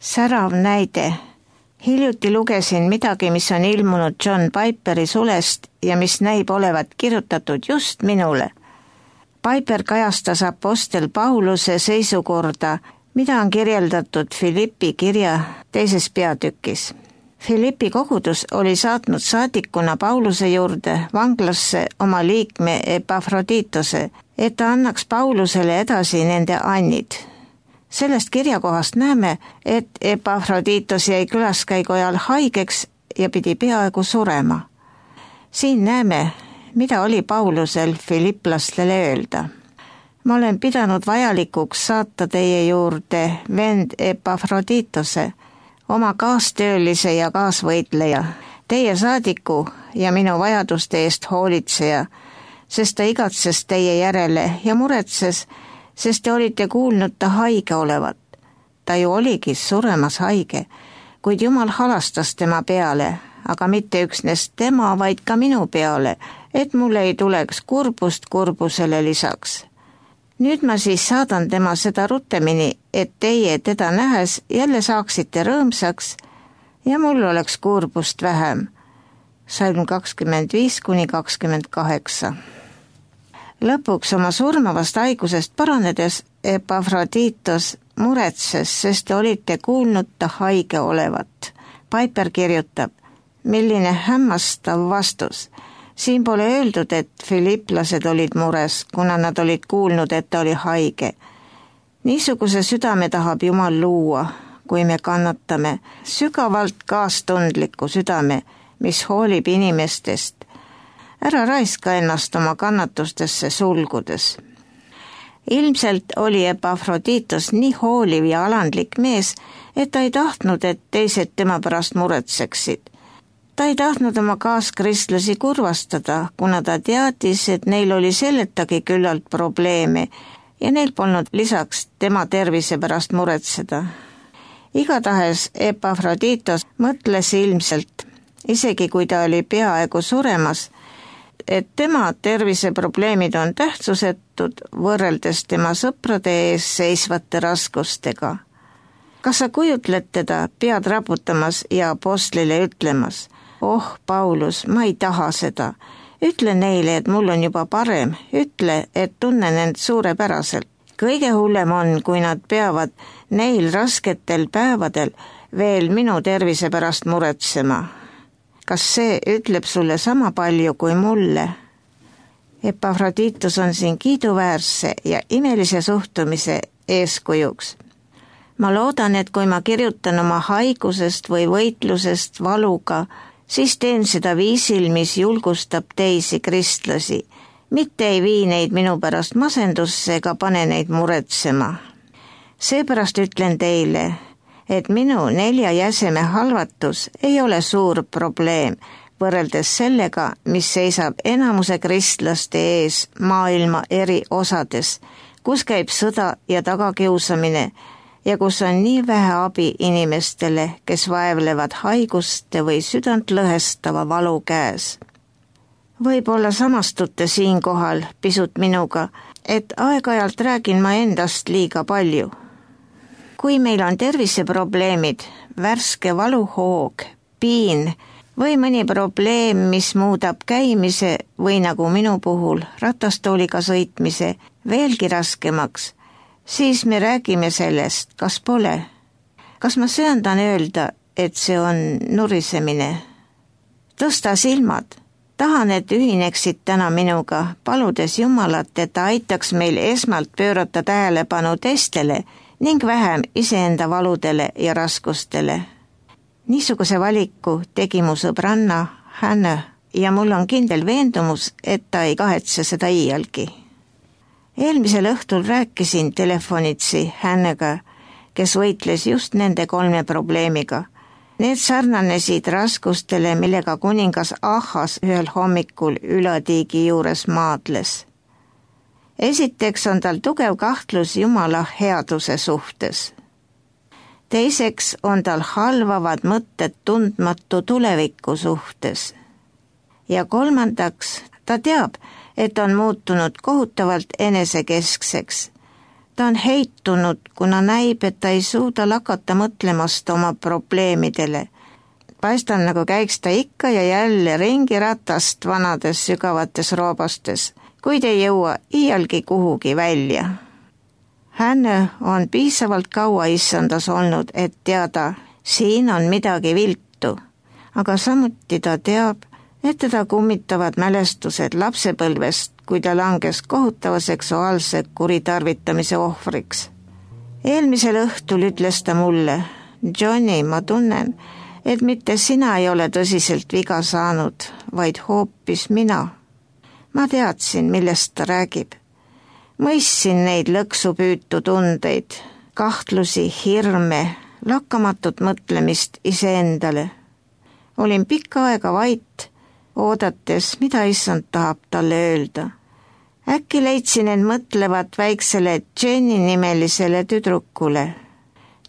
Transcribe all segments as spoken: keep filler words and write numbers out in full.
Särav näide. Hiljuti lugesin midagi, mis on ilmunud John Piperi sulest ja mis näib olevat kirjutatud just minule. Piper kajastas apostel Pauluse seisukorda, mida on kirjeldatud Filippi kirja teises peatükis. Filippi kogudus oli saatnud saadikuna Pauluse juurde vanglasse oma liikme Epafroditose, et ta annaks Paulusele edasi nende annid. Sellest kirjakohast näeme, et Epafroditos jäi külaskäigu ajal haigeks ja pidi peaaegu surema. Siin näeme, mida oli Paulusel filiplastele öelda. Ma olen pidanud vajalikuks saata teie juurde vend Epafroditose, oma kaastöölise ja kaasvõitleja, teie saadiku ja minu vajaduste eest hoolitseja, sest ta igatses teie järele ja muretses, sest te olite kuulnud ta haige olevat. Ta ju oligi suremas haige, kuid Jumal halastas tema peale, aga mitte üksnes tema, vaid ka minu peale, et mul ei tuleks kurbust kurbusele lisaks. Nüüd ma siis saadan tema seda rutemini, et teie teda nähes jälle saaksite rõõmsaks ja mul oleks kurbust vähem. Salm kakskümmend viis kuni kakskümmend kaheksa. Lõpuks oma surmavast haigusest paranedes Epafroditos muretses, sest te olite kuulnud ta haige olevat. Piper kirjutab, milline hämmastav vastus. Siin pole öeldud, et filiplased olid mures, kuna nad olid kuulnud, et ta oli haige. Niisuguse südame tahab Jumal luua, kui me kannatame, sügavalt kaastundliku südame, mis hoolib inimestest. Ära raiska ennast oma kannatustesse sulgudes. Ilmselt oli Epafroditos nii hooliv ja alandlik mees, et ta ei tahtnud, et teised tema pärast muretseksid. Ta ei tahtnud oma kaaskristlasi kurvastada, kuna ta teadis, et neil oli selletagi küllalt probleeme ja neil polnud lisaks tema tervise pärast muretseda. Igatahes Epafroditos mõtles ilmselt, isegi kui ta oli peaaegu suremas, et tema terviseprobleemid on tähtsusetud võrreldes tema sõprade ees seisvate raskustega. Kas sa kujutled teda pead raputamas ja apostlile ütlemas, oh, Paulus, ma ei taha seda. Ütle neile, et mul on juba parem. Ütle, et tunnen end suurepäraselt. Kõige hullem on, kui nad peavad neil rasketel päevadel veel minu tervise pärast muretsema. Kas see ütleb sulle sama palju kui mulle? Epafroditus on siin kiiduväärse ja imelise suhtumise eeskujuks. Ma loodan, et kui ma kirjutan oma haigusest või võitlusest valuga, siis teen seda viisil, mis julgustab teisi kristlasi, mitte ei vii neid minu pärast masendusse ega pane neid muretsema. Seepärast ütlen teile, et minu nelja jäseme halvatus ei ole suur probleem võrreldes sellega, mis seisab enamuse kristlaste ees maailma eri osades, kus käib sõda ja tagakiusamine ja kus on nii vähe abi inimestele, kes vaevlevad haiguste või südant lõhestava valu käes. Võib-olla samastute siinkohal pisut minuga, et aeg-ajalt räägin ma endast liiga palju. Kui meil on terviseprobleemid, värske valuhoog, piin või mõni probleem, mis muudab käimise või nagu minu puhul ratastooliga sõitmise veelgi raskemaks, siis me räägime sellest, kas pole. Kas ma söandan öelda, et see on nurisemine? Tõsta silmad. Tahan, et ühineksid täna minuga, paludes Jumalat, et ta aitaks meil esmalt pöörata tähelepanu teistele ning vähem iseenda valudele ja raskustele. Niisuguse valiku tegi mu sõbranna Hannah ja mul on kindel veendumus, et ta ei kahetse seda iialgi. Eelmisel õhtul rääkisin telefonitsi Hannah'ga, kes võitles just nende kolme probleemiga. Need sarnanesid raskustele, millega kuningas Ahas ühel hommikul ülatiigi juures maadles. Esiteks on tal tugev kahtlus Jumala headuse suhtes. Teiseks on tal halvavad mõtted tundmatu tuleviku suhtes. Ja kolmandaks, ta teab, et on muutunud kohutavalt enesekeskseks. Ta on heitunud, kuna näib, et ta ei suuda lakata mõtlemast oma probleemidele. Paistab, nagu käiks ta ikka ja jälle ringiratast vanades sügavates roobastes, kuid ei jõua iialgi kuhugi välja. Hänne on piisavalt kaua issandas olnud, et teada, siin on midagi viltu, aga samuti ta teab, et teda kummitavad mälestused lapsepõlvest, kui ta langes kohutava seksuaalse kuritarvitamise ohvriks. Eelmisel õhtul ütles ta mulle, Johnny, ma tunnen, et mitte sina ei ole tõsiselt viga saanud, vaid hoopis mina. Ma teadsin, millest ta räägib. Mõistsin neid lõksupüütu tundeid, kahtlusi, hirme, lakkamatut mõtlemist iseendale. Olin pikka aega vait, oodates, mida issand tahab talle öelda. Äkki leidsin end mõtlevat väiksele Jenny nimelisele tüdrukule.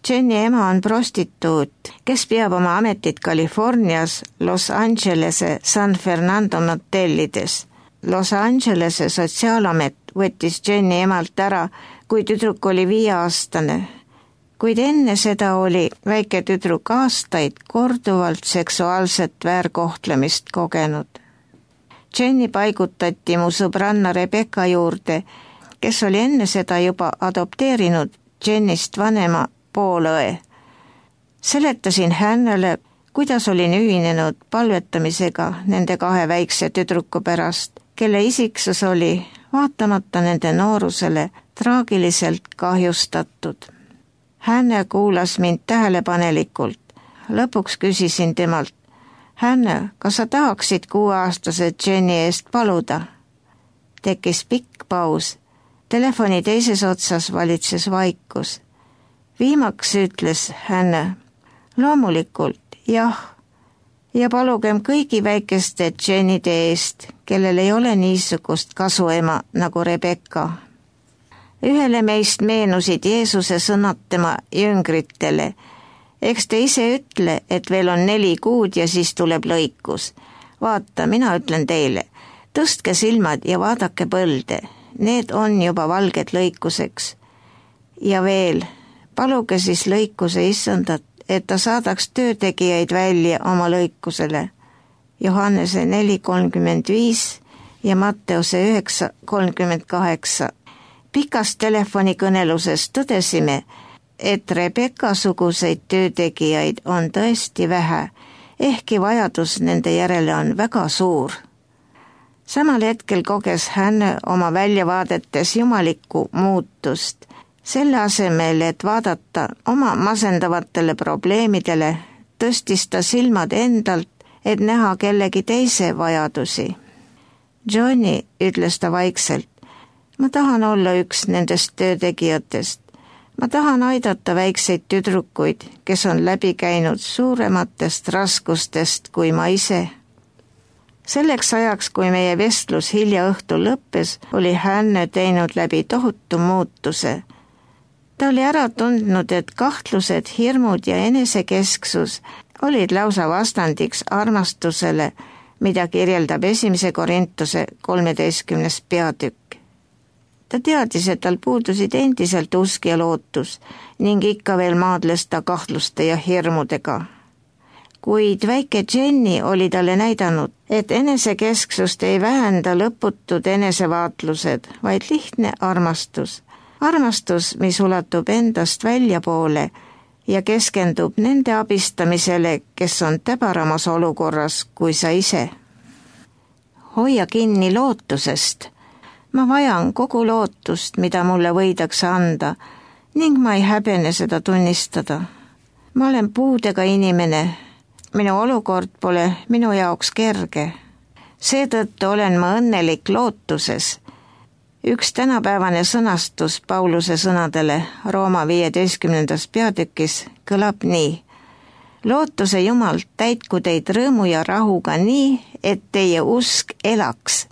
Jenny ema on prostituut, kes peab oma ametit Californias Los Angelese San Fernando motellides. Los Angelese sotsiaalamet võttis Jenny emalt ära, kui tüdruk oli viieaastane. Kuid enne seda oli väike tüdruk aastaid korduvalt seksuaalset väärkohtlemist kogenud. Jenny paigutati mu sõbranna Rebecca juurde, kes oli enne seda juba adopteerinud Jennist vanema poolõe. Seletasin Hannele, kuidas olin ühinenud palvetamisega nende kahe väikse tüdruku pärast, kelle isiksus oli, vaatamata nende noorusele, traagiliselt kahjustatud. Hänne kuulas mind tähelepanelikult. Lõpuks küsisin temalt, Hänne, kas sa tahaksid kuueaastase Jenny eest paluda? Tekkis pikk paus. Telefoni teises otsas valitses vaikus. Viimaks ütles Hänne, loomulikult, jah, ja palugem kõigi väikeste Jennyde eest, kellel ei ole niisugust kasuema nagu Rebecca. Ühele meist meenusid Jeesuse sõnad tema jüngritele. Eks te ise ütle, et veel on neli kuud ja siis tuleb lõikus. Vaata, mina ütlen teile, tõstke silmad ja vaadake põlde. Need on juba valged lõikuseks. Ja veel, paluge siis lõikuse issandat, et ta saadaks töötegijaid välja oma lõikusele. Johannese neli kolmkümmend viis ja Matteuse üheksa kolmkümmend kaheksa. Pikas telefonikõneluses tõdesime, et Rebecca-suguseid töötegijaid on tõesti vähe, ehkki vajadus nende järele on väga suur. Samal hetkel koges Hänne oma väljavaadetes jumalikku muutust. Selle asemel, et vaadata oma masendavatele probleemidele, tõstis ta silmad endalt, et näha kellegi teise vajadusi. Johnny, ütles ta vaikselt, ma tahan olla üks nendest töötegijatest. Ma tahan aidata väikseid tüdrukuid, kes on läbi käinud suurematest raskustest kui ma ise. Selleks ajaks, kui meie vestlus hilja õhtul lõppes, oli Hänne teinud läbi tohutu muutuse. Ta oli ära tundnud, et kahtlused, hirmud ja enesekesksus olid lausa vastandiks armastusele, mida kirjeldab esimese Korintuse kolmeteistkümnes peatükk. Ta teadis, et tal puudusid endiselt usk ja lootus ning ikka veel maadles ta kahtluste ja hirmudega. Kuid väike Jenny oli talle näidanud, et enesekesksust ei vähenda lõputud enesevaatlused, vaid lihtne armastus. Armastus, mis ulatub endast väljapoole ja keskendub nende abistamisele, kes on täbaramas olukorras kui sa ise. Hoia kinni lootusest. Ma vajan kogu lootust, mida mulle võidakse anda, ning ma ei häbene seda tunnistada. Ma olen puudega inimene. Minu olukord pole minu jaoks kerge. Seetõttu olen ma õnnelik lootuses. Üks tänapäevane sõnastus Pauluse sõnadele Rooma viieteistkümnendas peatükis kõlab nii. Lootuse Jumal täitku teid rõõmu ja rahuga nii, et teie usk elaks.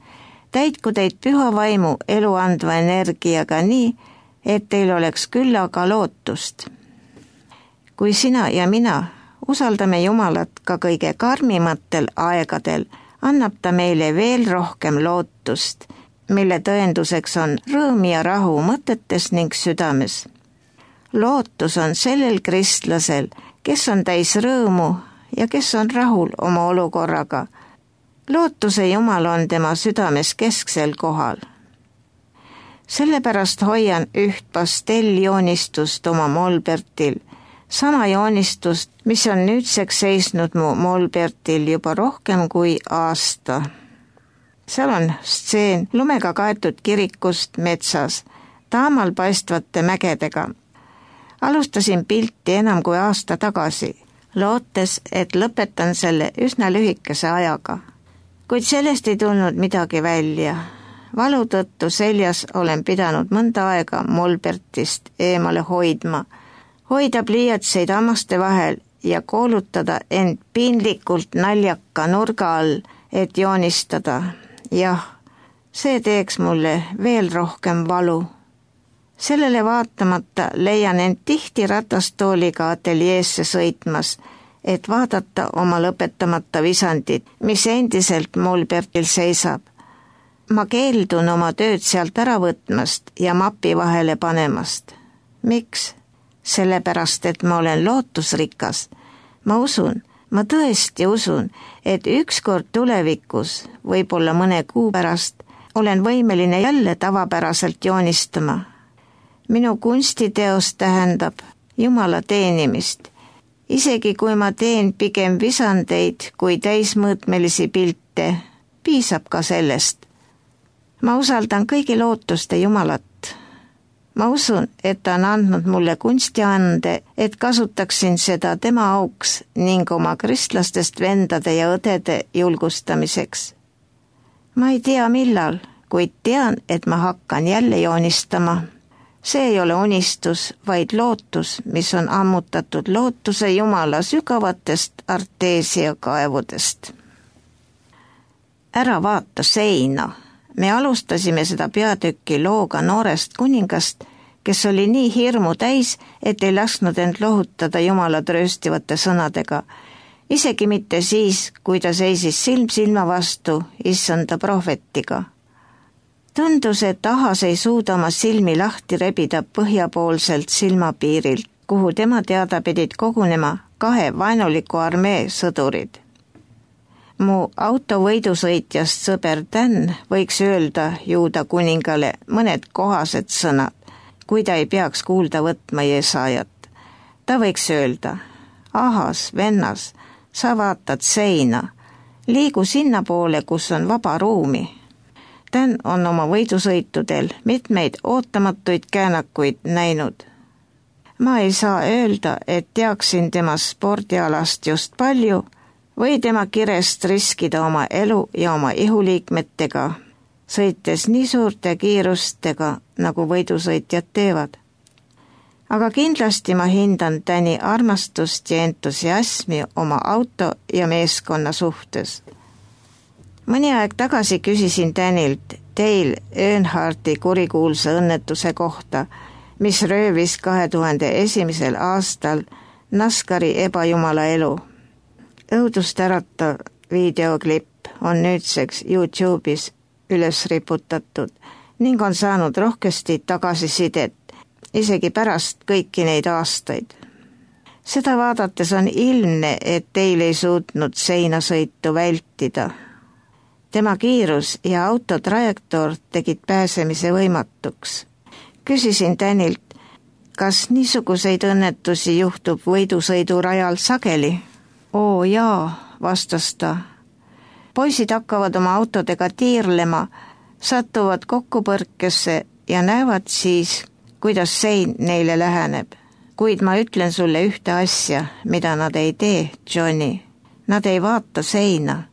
Täitku teid püha vaimu elu andva energiaga nii, et teil oleks küllaga lootust. Kui sina ja mina usaldame Jumalat ka kõige karmimatel aegadel, annab ta meile veel rohkem lootust mille tõenduseks on rõõm ja rahu mõtetes ning südames. Lootus on sellel kristlasel, kes on täis rõõmu ja kes on rahul oma olukorraga. Lootuse Jumal on tema südames kesksel kohal. Sellepärast hoian üht pastelljoonistust oma molbertil, sama joonistust, mis on nüüdseks seisnud mu molbertil juba rohkem kui aasta. Seal on stseen lumega kaetud kirikust metsas, taamal paistvate mägedega. Alustasin pilti enam kui aasta tagasi, lootes, et lõpetan selle üsna lühikese ajaga. Kuid sellest ei tulnud midagi välja. Valu tõttu seljas olen pidanud mõnda aega molbertist eemale hoidma, hoida pliiatseid hammaste vahel ja koolutada end piinlikult naljaka nurga all, et joonistada. Jah, see teeks mulle veel rohkem valu. Sellele vaatamata leian end tihti ratastooliga ateljeesse sõitmas, et vaadata oma lõpetamata visandit, mis endiselt molbertil seisab. Ma keeldun oma tööd sealt ära võtmast ja mapi vahele panemast. Miks? Sellepärast, et ma olen lootusrikas. Ma usun, ma tõesti usun, et ükskord tulevikus, võib-olla mõne kuu pärast, olen võimeline jälle tavapäraselt joonistama. Minu kunstiteos tähendab Jumala teenimist. Isegi kui ma teen pigem visandeid kui täismõõtmelisi pilte, piisab ka sellest. Ma usaldan kõigi lootuste Jumalat. Ma usun, et ta on andnud mulle kunstiande, et kasutaksin seda tema auks ning oma kristlastest vendade ja õdede julgustamiseks. Ma ei tea millal, kuid tean, et ma hakkan jälle joonistama. See ei ole unistus, vaid lootus, mis on ammutatud lootuse Jumala sügavatest arteesiakaevudest. Ära vaata seina. Me alustasime seda peatükki looga noorest kuningast, kes oli nii hirmu täis, et ei lasknud end lohutada Jumala trööstivate sõnadega, isegi mitte siis, kui ta seisis silm silma vastu issanda prohvetiga. Tundus, et Ahas ei suuda oma silmi lahti rebida põhjapoolselt silmapiirilt, kuhu tema teada pidid kogunema kahe vaenuliku armee sõdurid. Mu auto võidusõitjast sõber Dan võiks öelda Juuda kuningale mõned kohased sõnad, kui ta ei peaks kuulda võtma Jesaajat. Ta võiks öelda, Ahas, vennas, sa vaatad seina, liigu sinna poole, kus on vaba ruumi. Dan on oma võidusõitudel mitmeid ootamatuid käänakuid näinud. Ma ei saa öelda, et teaksin tema spordialast just palju, või tema kirest riskida oma elu ja oma ihuliikmetega, sõites nii suurte kiirustega, nagu võidusõitjad teevad. Aga kindlasti ma hindan Dani armastust ja entusiasmi oma auto ja meeskonna suhtes. Mõni aeg tagasi küsisin Danilt Dale Earnhardti kurikuulsa õnnetuse kohta, mis röövis kahe tuhande esimesel aastal NASCARi ebajumala elu. Õudust äratav videoklipp on nüüdseks YouTube'is üles riputatud ning on saanud rohkesti tagasisidet, isegi pärast kõiki neid aastaid. Seda vaadates on ilmne, et teil ei suutnud seinasõitu vältida. Tema kiirus ja auto trajektoor tegid pääsemise võimatuks. Küsisin Danilt, kas niisuguseid õnnetusi juhtub võidusõidurajal sageli? Oo jaa, vastas ta. Poisid hakkavad oma autodega tiirlema, satuvad kokkupõrkesse ja näevad siis, kuidas sein neile läheneb. Kuid ma ütlen sulle ühte asja, mida nad ei tee, Johnny. Nad ei vaata seina.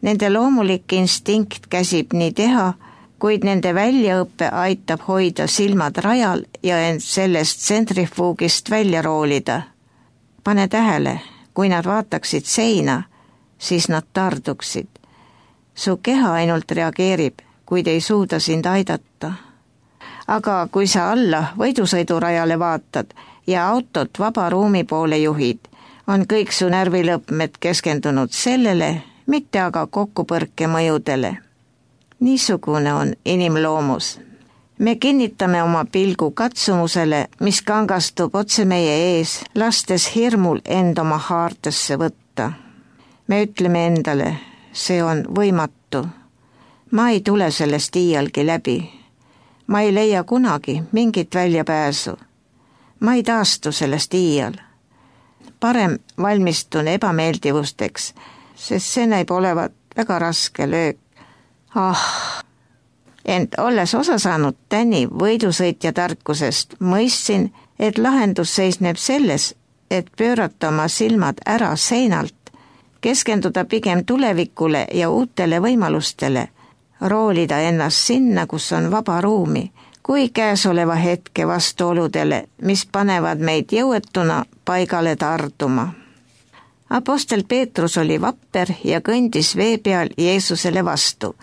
Nende loomulik instinkt käsib nii teha, kuid nende väljaõppe aitab hoida silmad rajal ja end sellest tsentrifuugist välja roolida. Pane tähele. Kui nad vaataksid seina, siis nad tarduksid. Su keha ainult reageerib, kuid ei suuda sind aidata. Aga kui sa alla võidusõidurajale vaatad ja autot vaba ruumi poole juhid, on kõik su närvilõpmed keskendunud sellele, mitte aga kokkupõrke mõjudele. Niisugune on inimloomus. Me kinnitame oma pilgu katsumusele, mis kangastub otse meie ees, lastes hirmul end oma haardesse võtta. Me ütleme endale, see on võimatu. Ma ei tule sellest iialgi läbi. Ma ei leia kunagi mingit väljapääsu. Ma ei taastu sellest iial. Parem valmistun ebameeldivusteks, sest see näib olevat väga raske löök. Ah! Ent olles osa saanud Tänni võidusõitja tarkusest, mõistsin, et lahendus seisneb selles, et pöörata oma silmad ära seinalt, keskenduda pigem tulevikule ja uutele võimalustele, roolida ennast sinna, kus on vaba ruumi, kui käesoleva hetke vastuoludele, mis panevad meid jõuetuna paigale tarduma. Apostel Peetrus oli vapper ja kõndis vee peal Jeesusele vastu,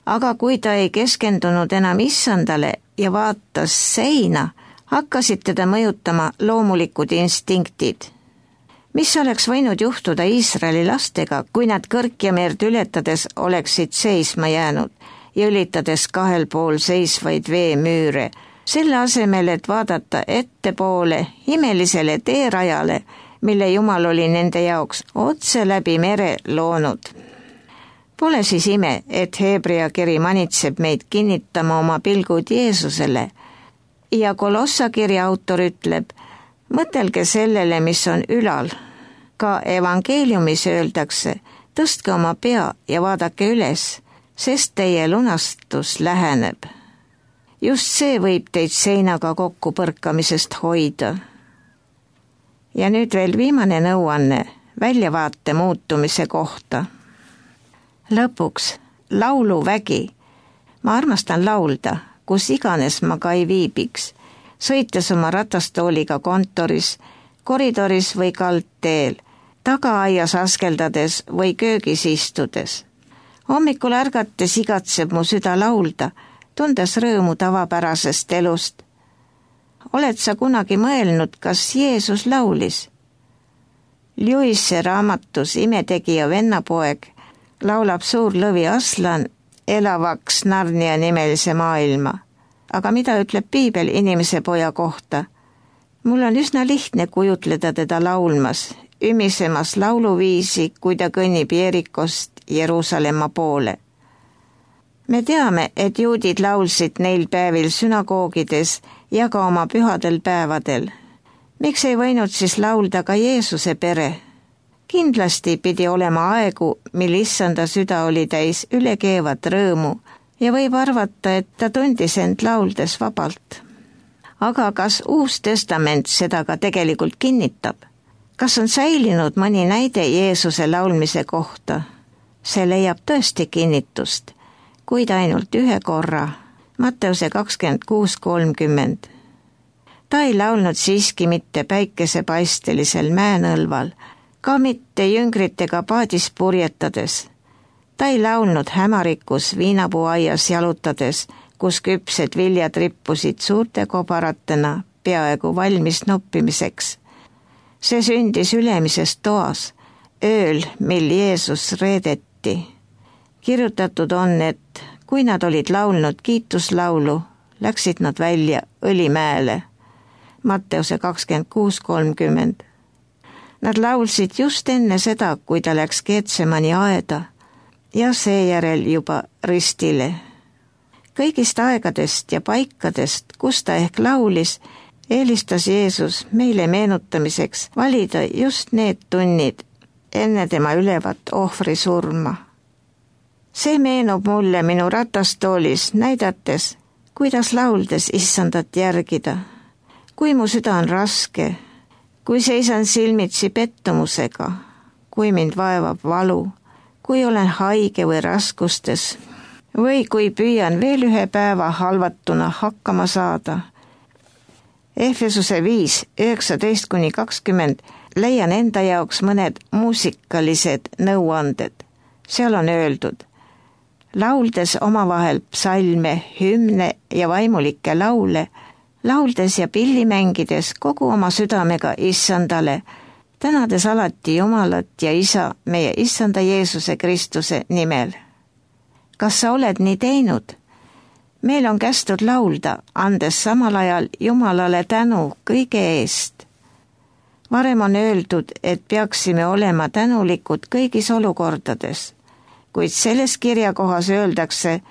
aga kui ta ei keskendunud enam issandale ja vaatas seina, hakkasid teda mõjutama loomulikud instinktid. Mis oleks võinud juhtuda Iisraeli lastega, kui nad Kõrkjamerd ületades oleksid seisma jäänud ja ülitades kahel pool seisvaid veemüüre, selle asemel, et vaadata ettepoole imelisele teerajale, mille Jumal oli nende jaoks otse läbi mere loonud. Pole siis ime, et Hebrea kiri manitseb meid kinnitama oma pilgud Jeesusele ja Kolossa kirja autor ütleb, mõtelge sellele, mis on ülal. Ka evangeeliumis öeldakse, tõstke oma pea ja vaadake üles, sest teie lunastus läheneb. Just see võib teid seinaga kokku põrkamisest hoida. Ja nüüd veel viimane nõuanne väljavaate muutumise kohta. Lõpuks lauluvägi. Ma armastan laulda, kus iganes ma ka ei viibiks, sõites oma ratastooliga kontoris, koridoris või kaldteel, tagaaias askeldades või köögis istudes. Hommikul ärgates igatseb mu süda laulda, tundes rõõmu tavapärasest elust. Oled sa kunagi mõelnud, kas Jeesus laulis? Lewise raamatus Imetegija vennapoeg laulab suur lõvi Aslan elavaks Narnia nimelise maailma. Aga mida ütleb Piibel inimese poja kohta? Mul on üsna lihtne kujutleda teda laulmas, ümisemas lauluviisi, kui ta kõnnib Jerikost Jeruusalemma poole. Me teame, et juudid laulsid neil päevil sünagoogides ja ka oma pühadel päevadel. Miks ei võinud siis laulda ka Jeesuse pere? Kindlasti pidi olema aegu, mil issanda süda oli täis ülekeevat rõõmu ja võib arvata, et ta tundis end lauldes vabalt. Aga kas Uus Testament seda ka tegelikult kinnitab? Kas on säilinud mõni näide Jeesuse laulmise kohta? See leiab tõesti kinnitust, kuid ainult ühe korra, Matteuse kakskümmend kuus kolmkümmend. Ta ei laulnud siiski mitte päikesepaistelisel mäenõlval, ka mitte jüngritega paadis purjetades. Ta ei laulnud hämarikus viinapuuaias jalutades, kus küpsed viljad rippusid suurte kobaratena peaaegu valmis noppimiseks. See sündis ülemises toas, ööl, mil Jeesus reedeti. Kirjutatud on, et kui nad olid laulnud kiituslaulu, läksid nad välja Õlimäele. Matteuse kakskümmend kuus kolmkümmend. Nad laulsid just enne seda, kui ta läks Getsemani aeda ja seejärel juba ristile. Kõigist aegadest ja paikadest, kus ta ehk laulis, eelistas Jeesus meile meenutamiseks valida just need tunnid enne tema ülevat ohvri surma. See meenub mulle minu ratastoolis näidates, kuidas lauldes issandat järgida. Kui mu süda on raske, kui seisan silmitsi pettumusega, kui mind vaevab valu, kui olen haige või raskustes, või kui püüan veel ühe päeva halvatuna hakkama saada. Efesuse viis, üheksateist kuni kakskümmend leian enda jaoks mõned muusikalised nõuanded. Seal on öeldud, lauldes omavahel psalme, hümne ja vaimulikke laule, lauldes ja pilli mängides kogu oma südamega issandale, tänades alati Jumalat ja Isa meie issanda Jeesuse Kristuse nimel. kas sa oled nii teinud? Meil on kästud laulda, andes samal ajal Jumalale tänu kõige eest. Varem on öeldud, et peaksime olema tänulikud kõigis olukordades, kuid selles kirjakohas öeldakse,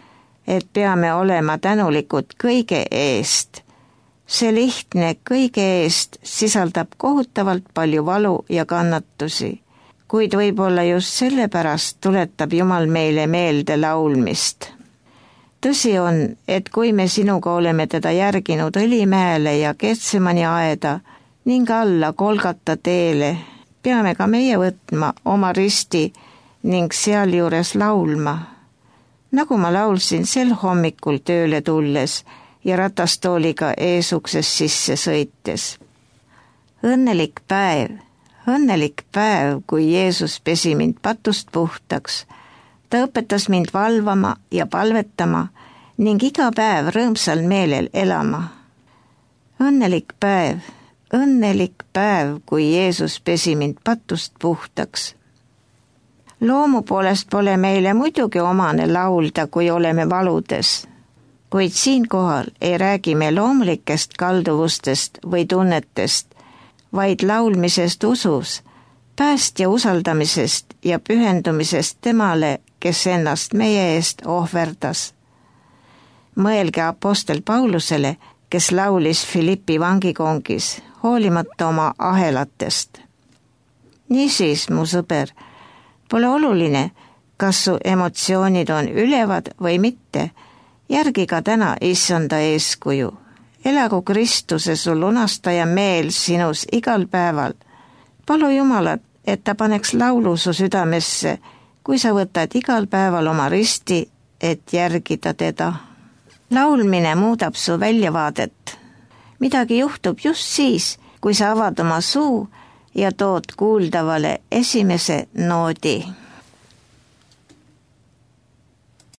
et peame olema tänulikud kõige eest. See lihtne kõige eest sisaldab kohutavalt palju valu ja kannatusi, kuid võib-olla just sellepärast tuletab Jumal meile meelde laulmist. Tõsi on, et kui me sinuga oleme teda järginud Õlimäele ja Getsemani aeda ning alla Golgata teele, peame ka meie võtma oma risti ning sealjuures laulma. Nagu ma laulsin sel hommikul tööle tulles ja ratastooliga eesukses sisse sõites. Õnnelik päev, õnnelik päev, kui Jeesus pesi mind patust puhtaks. Ta õpetas mind valvama ja palvetama ning iga päev rõõmsal meelel elama. Õnnelik päev, õnnelik päev, kui Jeesus pesi mind patust puhtaks. Loomu poolest pole meile muidugi omane laulda, kui oleme valudes, kuid siinkohal ei räägi me loomulikest kalduvustest või tunnetest, vaid laulmisest usus, päästja usaldamisest ja pühendumisest temale, kes ennast meie eest ohverdas. Mõelge apostel Paulusele, kes laulis Filippi vangikongis, hoolimata oma ahelatest. Niisiis, mu sõber, pole oluline, kas su emotsioonid on ülevad või mitte, järgi ka täna issanda eeskuju. Elagu Kristuse su lunastaja meel sinus igal päeval. Palu Jumalat, et ta paneks laulu su südamesse, kui sa võtad igal päeval oma risti, et järgida teda. Laulmine muudab su väljavaadet. Midagi juhtub just siis, kui sa avad oma suu ja tood kuuldavale esimese noodi.